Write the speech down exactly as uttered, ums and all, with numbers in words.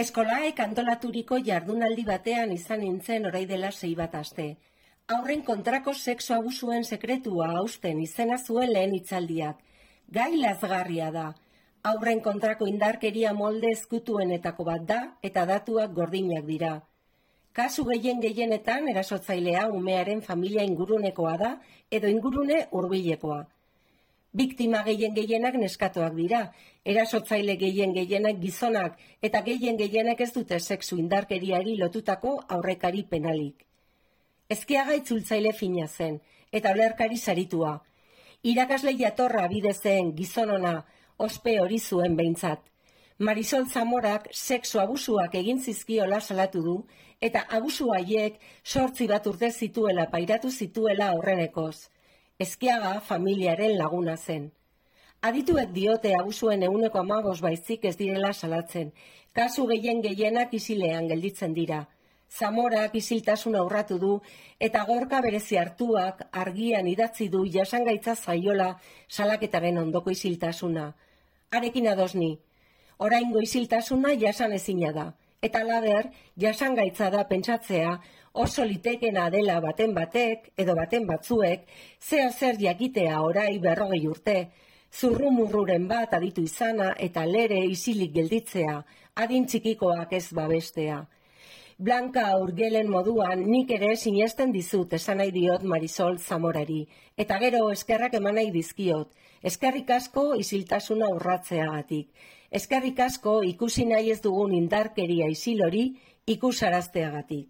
Eskolaek antolaturiko jardunaldi batean izan nintzen orai dela sei bat aste. Haurren kontrako sexu abusuen sekretua hausten izena zuen lehen hitzaldiak. Gai lazgarria da. Haurren kontrako indarkeria molde ezkutuenetako bat da eta datuak gordinak dira. Kasu gehien gehienetan erasotzailea umearen familia ingurunekoa da edo ingurune hurbilekoa. Biktima gehien gehienak neskatoak dira, erasotzaile gehien gehienak gizonak eta gehien gehienak ez dute sexu indarkeriari lotutako aurrekari penalik. Ezkiaga itzultzaile fina zen, eta olerkari saritua. Irakasle jatorra bide zen gizonona, ospe hori zuen behintzat. Marisol Zamorak sexu abusuak egin zizkiola salatu du, eta abusu haiek sortzi bat urte zituela pairatu zituela aurrenekoz. Ezkiaga familiaren laguna zen. Adituek diote abusuen ehuneko hamabos baizik ez direla salatzen. Kasu gehien gehienak isilean gelditzen dira. Zamorak isiltasuna urratu du eta gorka berezi hartuak argian idatzi du jasangaitza zaiola salaketaren ondoko isiltasuna. Harekin adosni. Oraingo isiltasuna jasan ezina da. Eta lader, jasangaitza da pentsatzea oso litekena dela baten batek edo baten batzuek zeo zer jakitea orai berrogei urte, zurrumurruren bat aditu izana eta lere isilik gelditzea, adin txikikoak ez babestea. Blanka Urgelen moduan nik ere sinesten dizut esan nahi diot Marisol Zamorari, eta gero eskerrak eman nahi dizkiot, eskerrik asko isiltasuna urratzeagatik, eskerrik asko ikusi nahi ez dugun indarkeria isil hori ikusarazteagatik.